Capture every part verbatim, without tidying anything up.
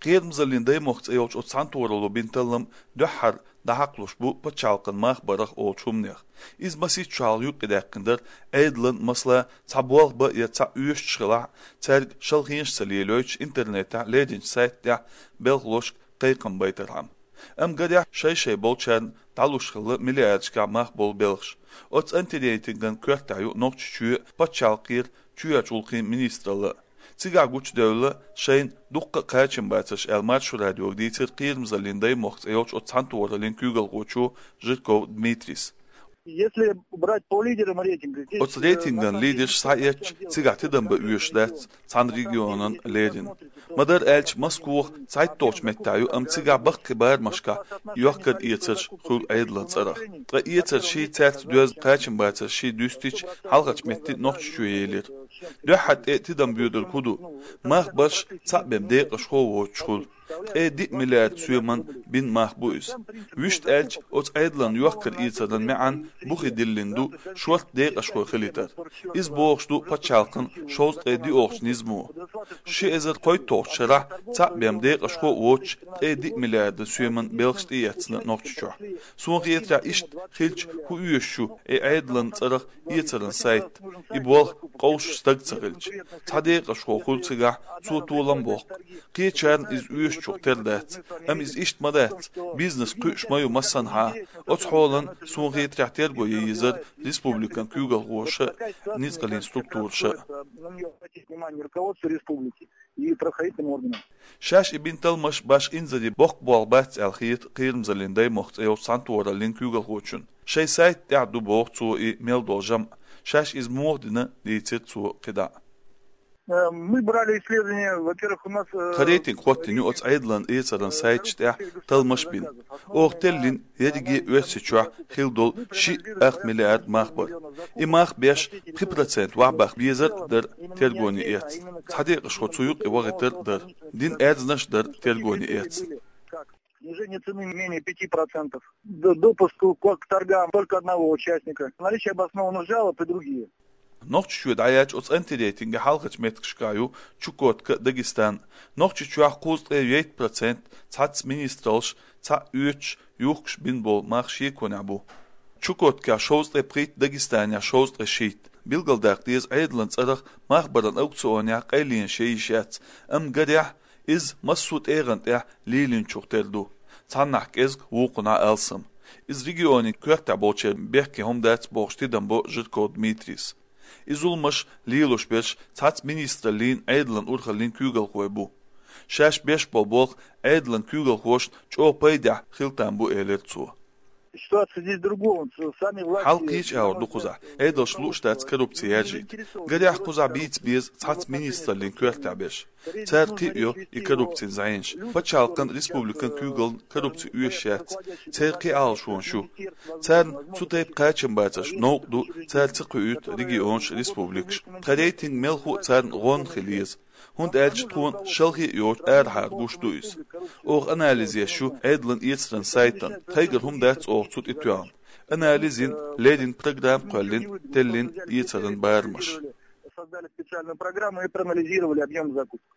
«Кхерамзаллин даймохк» цӀе йолчу оцу цхьаьнатохаралло бина таллам дуьххьара дӀахьакхалуш бу пачхьалкхан мах барах олучу хӀуманех. Иза масийтта шо хьалха юкъадаьккхина дара Ӏедалан, масала, цхьа болх бан я цхьаъ оьшуш хилахь, цаьрга шалхенаш ца лелойтуш, интернетехь леринчу сайта тӀехь белхалошка кхайкхам байтархьама. Амма гарехь, шай-шай болчарна дӀалуш хилла миллиардашкахь мах болу белхаш. Оцу антирейтинган коьртехь ю Нохчийчоь, пачхьалкхера чоьхьарчу гӀуллакхийн министралла. Цигахь гучудевлла шайна дуккха а кхачам бацарш аьлла, Маршо радиога дийцира «Кхерамзаллин даймохк» цӀе йолчу оцу цхьаьнатохараллин куьйгалхочо Жирков Дмитрийс. Если брать по лидерам рейтинга, здесь, Оцу э, рейтинган на самом деле лидерш схьаэцча, цигахь тидам бан оьшуш дац цхьана регионан леррина. Ма-дарра аьлча, Москва цхьайтталгӀачу меттехь ю, амма цигахь баккхий барамашкахь йохкар-эцарш хуьлу Ӏедалан цӀарах. Ткъа эцаршший, цаьрца доьзна кхачамбацаршший дуьстича, хьалхарчу метте Нохчийчоь елира. Дуьххьара тӀе тидам боьдург хӀун ду? Мах барш цхьаъ бен декъашхо воцуш хуьлу. Ткъе диъ миллиард соьман бина мах бу иза. Вуьшта аьлча, оцу Ӏедалан йохкар-эцаран маьӀна бухе диллина ду шорта декъашхой хилийтар. Иза бохуш ду пачхьалкхан шовзткъе диъолгӀачу низамо. Ши эзар кхойтталгӀачу шарахь цхьаъ бен декъашхо а воцуш, ткъе диъ миллиард соьман белхаш тӀеэцна Нохчийчохь. Суна хетарехь, иштта хилча, хӀун оьшуш ю и Ӏедалан цӀарах эцаран сайт, и болх къовсуш стаг ца хилча? Цхьа декъашхо хуьлу цигахь, цо толам боккху. Кхечарна иза оьшучух тера дац, амма иза иштта ма дац, бизнес кхуьуш ма ю массанхьа. Оцу хьолан, суна хетарехь, терго ян езара республикан куьйгалхоша а, ницкъаллин структураша а. На неё обратить внимание руководство республики и правоохранительным органам. Шаьш и бина талламаш башха инзаре боккха болх бац аьлла хета «Кхерамзаллин даймохк» цӀе йолчу цхьаьнатохараллин куьйгалхочун. Шайн сайта тӀехь ду, боху цо, и мел долу жамӀ. Шаьш иза муха дина, дийцира цо кхидӀа. Э, мы брали исследование, во-первых, у нас, э, Тхан рейтинг хӀоттийна ю оцу Ӏедалан эцаран сайташ тӀехь талламаш бина. Оха теллина ерриге а Оьрсийчохь хилла долу шиъ ах миллиард мах бар. И мах беш пхи процент вахьбаха безар а дара тергоне эцна. Цхьа декъашхо цу юкъе вахийтар а дара. Дина аьрзнаш а дара тергоне эцна. Снижение цены менее пяти процентов. Д-, допуск к, к торгам только одного участника. Наличие обоснованных жалоб и другие. Нохчийчоь дӀаяьлча, оцу антирейтинге хьалхарчу меттигашкахь ю Чукотка а, Дагестан а. Нохчийчохь кхузткъе вейтта процент цхьацца министраллаш, цхьаъ оьцуш, юхкуш бина болу мах шеконехь бу. Чукоткехь шовзткъе пхийтта, Дагестанехь шовзткъе шийтта. Билгалдаккха деза, Ӏедалан цӀарах мах баран аукционехь къайленаш ян йиш яц, амма гарехь, иза массо а тӀегӀан тӀехь лелийначух тера ду. Цхьаннахь кӀезиг, вукхунахь алсам. Иза регионийн коьртехь болчеран бехке хӀума дац, бохуш, тидам бо Жирков Дмитрийс. И зуламаш лелош берш цхьацца министраллин, Ӏедалан урхаллин куьйгалхой бу. Шаьш беш болу болх Ӏедалан куьйгалхошна чӀогӀа пайдехь хила там бу, элира цо. Ситуация здесь другого. Сами власти... Хьал кхечу агӀор ду кхузахь. Ӏедалшна лууш дац коррупци яржийта. Гарехь, кхузахь бийца беза цхьацца министраллин коьртехь берш. Цара кхиа йо и коррупцин зӀенаш. Пачхьалкхан, республикан куьйгаллин коррупци оьшуш яц. Церан кхин Ӏалашонаш ю. Царна цу тайпа кхачамбацарш новкъа ду, цара ца кхуьуьйту регионаш, республикаш. Тхан рейтинг мелхо а царна гӀонна хила еза. ХӀунда аьлча тхуна шалхе а йоцуш арахьара гуш ду иза. Оха анализ еш ю Ӏедалан эцаран сайтана. Тхайгара хӀума дац оха цу тӀе тоьхна. Анализ йина, леррина программа кхоьллина, теллина эцаран барамаш. Создали специальную программу и проанализировали объём закупок.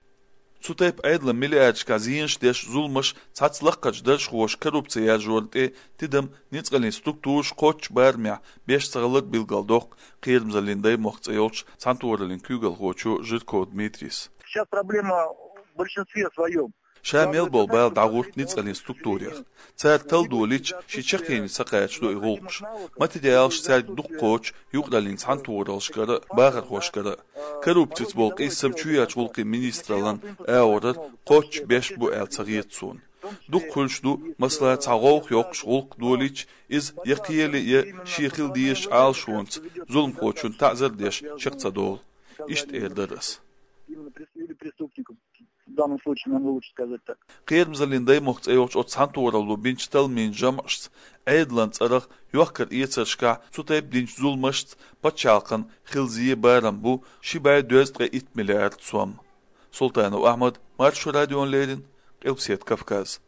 Цу тайпа Ӏедалан миллиардашкахь зенаш деш зуламаш цхьацца лакхарчу даржхоша коррупци яржорна тӀе тидам ницкъаллин структураш кхоччуш барамехь беш ца хилар билгалдоккху «Кхерамзаллин даймохк» цӀе йолчу цхьаьнатохараллин куьйгалхочо Жирков Дмитрийс. Сейчас проблема в большинстве своём. Ша мел болу бала дӀагӀурт ницкъаллин структурех. Цара талла долийча, шен чаккхене ца кхачадо и гӀуллакхаш. Материалаш цаьрга дукха кхочу юкъараллин цхьаьнатохараллашкара а, бахархошкара а. Коррупцица болу къийсам чоьхьарчу гӀуллакхийн министраллан агӀорара кхоччуш беш бу аьлла ца хета суна. Дукха хуьлуш ду, масала, цхьа гӀовгӀа йоккхуш гӀуллакх долийча, иза я кхеле, я шен хила дезачу Ӏалашонца зуламхочунна таӀзар а деш чекх ца долу. Иштта эр дара ас. Именно прес-, или преступником. В данном случае, наверное, лучше сказать так. «Кхерамзаллин даймохк» цӀе йолчу оцу цхьаьнатохаралло бинчу талламийн жамӀашца, Ӏедалан цӀарах йохкар-эцаршкахь цу тайпа динчу зуламашца пачхьалкхан хила зен барам бу ши бӀе дезткъе итт миллиард сом. Султанов Ахьмад, Маршо радиона леррина, Къилбаседа Кавказ.